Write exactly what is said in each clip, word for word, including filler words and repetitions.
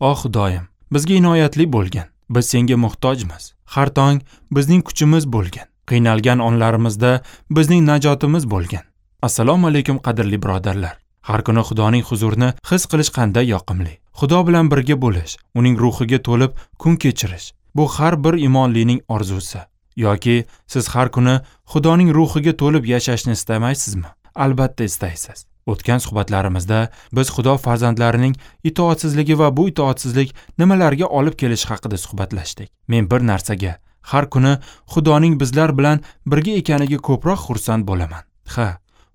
Oh Xudoyim, bizga inoyatli bo'lgin. Biz senga muhtojmiz. Har tong bizning kuchimiz bo'lgin. Qiynalgan onlarimizda bizning najotimiz bo'lgin. Assalomu alaykum qadrli birodarlar. Har kuni Xudoning huzurini his qilish qanday yoqimli. Xudo bilan birga bo'lish, uning ruhiga to'lib kun kechirish bu har bir imonlining orzusi. Yoki siz har kuni Xudoning ruhiga to'lib yashashni istamaysizmi? Albatta istaysiz. O'tgan suhbatlarimizda biz Xudo farzandlarining itoatsizligi va bu itoatsizlik nimalarga olib kelishi haqida suhbatlashdik. Men bir narsaga, har kuni Xudoning bizlar bilan birga ekaniga ko'proq xursand bo'laman. Ha,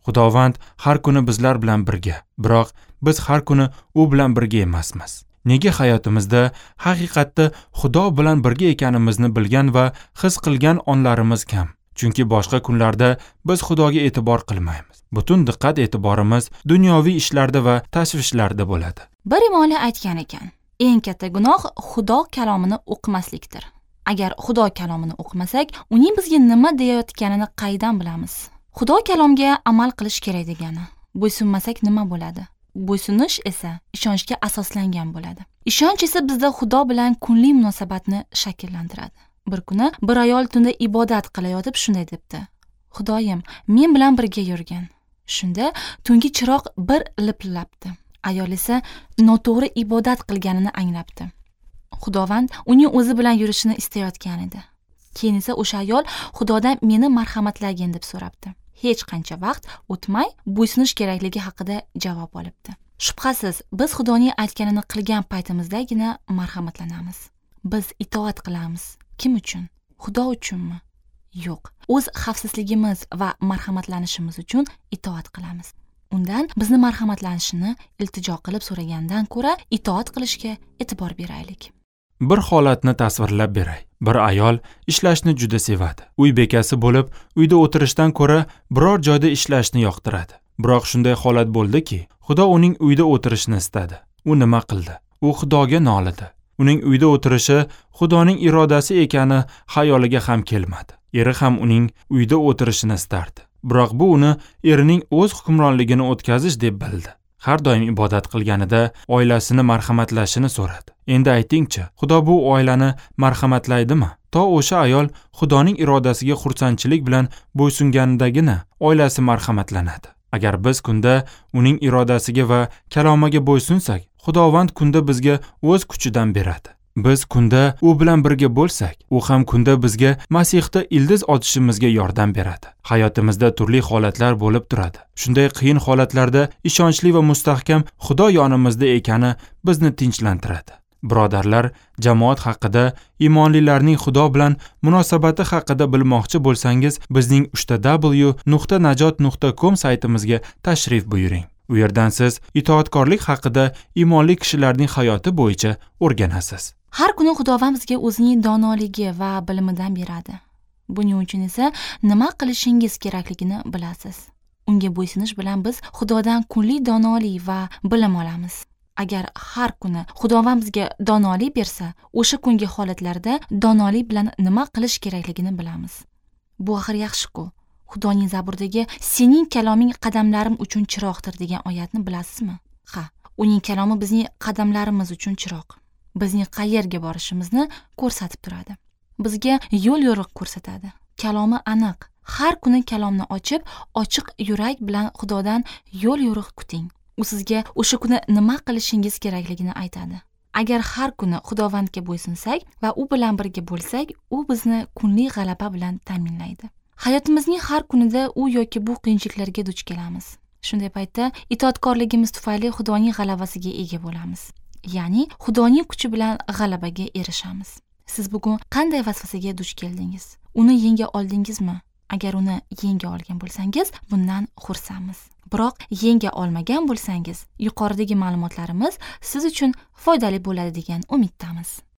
Xudovand har kuni bizlar bilan birga, biroq biz har kuni u bilan birga emasmiz. Nega hayotimizda haqiqatda Xudo bilan birga ekanimizni bilgan va his qilgan onlarimiz kam? Chunki boshqa kunlarda biz Xudoga e'tibor qilmaymiz. Butun diqqat e'tiborimiz dunyoviy ishlarda va tashvishlarda bo'ladi. Bir imonli aytgan ekan, eng katta gunoh Xudo kalomini o'qimaslikdir. Agar Xudo kalomini o'qimasak, uning bizga nima deyayotganini qaydan bilamiz? Xudo kalomga amal qilish kerak degani. Bo'ysunmasak nima bo'ladi? Bo'ysunish esa ishonchga asoslangan bo'ladi. Ishonch esa bizda Xudo bilan kunlik munosabatni shakllantiradi. Bir kuni bir ayol tunda ibodat qilayotib shunday debdi: Xudoyim, men bilan birga yurgin. Shunda tungi chiroq bir lipillabdi. Ayol esa noto'g'ri ibodat qilganini anglabdi. Xudovand uning o'zi bilan yurishini istayotgan edi. Keyin esa o'sha ayol Xudodan meni marhamatlagin deb so'rabdi. Hech qancha vaqt o'tmay bo'ysunish kerakligi haqida javob olibdi. Shubhasiz, biz Xudoning aytganini qilgan paytimizdagina marhamatlanamiz. Biz itoat qilamiz. Kim uchun? Xudo uchunmi? Yo'q. O'z xavfsizligimiz va marhamatlanishimiz uchun itoat qilamiz. Undan bizni marhamatlanishini iltijo qilib so'ragandan ko'ra itoat qilishga e'tibor beraylik. Bir holatni tasvirlab beray. Bir ayol ishlashni juda sevadi. Uy bekasi bo'lib, uyda o'tirishdan ko'ra biror joyda ishlashni yoqtiradi. Biroq shunday holat bo'ldiki, Xudo uning uyda o'tirishini istadi. U nima qildi? U Xudoga nolidi. Uning uyda o'tirishi Xudoning irodasi ekani xayoliga ham kelmadi. Eri ham uning uyda o'tirishini istardi. Biroq bu uni erining o'z hukmronligini o'tkazish deb bildi. Har doim ibodat qilganida oilasini marhamatlashini so'radi. Endi aytingchi, Xudo bu oilani marhamatlaydimi? To o'sha ayol Xudoning irodasiga xursandchilik bilan bo'ysunganidagina oilasi marhamatlanadi. Agar biz kunda uning irodasiga va kalomiga bo'ysunsak, Xudovand kunda bizga o'z kuchidan beradi. Biz kunda u bilan birga bo'lsak, u ham kunda bizga Masihda ildiz otishimizga yordam beradi. Hayotimizda turli holatlar bo'lib turadi. Shunday qiyin holatlarda ishonchli va mustahkam Xudo yonimizda ekani bizni tinchlantiradi. Birodarlar, jamoat haqida, imonlilarning Xudo bilan munosabati haqida bilmoqchi bo'lsangiz, bizning uchta w nuqta najot nuqta com saytimizga tashrif buyuring. U yerdan siz itoatkorlik haqida imonli kishilarning hayoti bo'yicha o'rganasiz. Har kuni Xudovand bizga o'zining donoligi va bilimidan beradi. Buning uchun esa nima qilishingiz kerakligini bilasiz. Unga bo'ysunish bilan biz Xudodan kunlik donolik va bilim olamiz. Agar har kuni Xudovand bizga donolik bersa, o'sha kungi holatlarda donolik bilan nima qilish kerakligini bilamiz. Bu axir yaxshi-ku. Xudoning Zaburdagi sening kaloming qadamlarim uchun chiroqdir degan oyatni bilasizmi? Ha, uning kalomi bizning qadamlarimiz uchun chiroq. Bizning qayerga borishimizni ko'rsatib turadi. Bizga yo'l yo'riq ko'rsatadi. Kalomi aniq. Har kuni kalomni ochib, ochiq yurak bilan Xudodan yo'l yo'riq kuting. U sizga o'sha kuni nima qilishingiz kerakligini aytadi. Agar har kuni Xudovandga bo'ysunsak va u bilan birga bo'lsak, u bizni kunlik g'alaba bilan ta'minlaydi. Hayotimizning har kunida u yoki bu qiyinchiliklarga duch kelamiz. Shunday paytda itoatkorligimiz tufayli Xudoning g'alabasiga ega bo'lamiz. Ya'ni Xudoning kuchi bilan g'alabaga erishamiz. Siz bugun qanday vasvasaga duch keldingiz? Uni yenga oldingizmi? Agar uni yenga olgan bo'lsangiz, bundan xursandmiz. Biroq yenga olmagan bo'lsangiz, yuqoridagi ma'lumotlarimiz siz uchun foydali bo'ladi degan umiddamiz.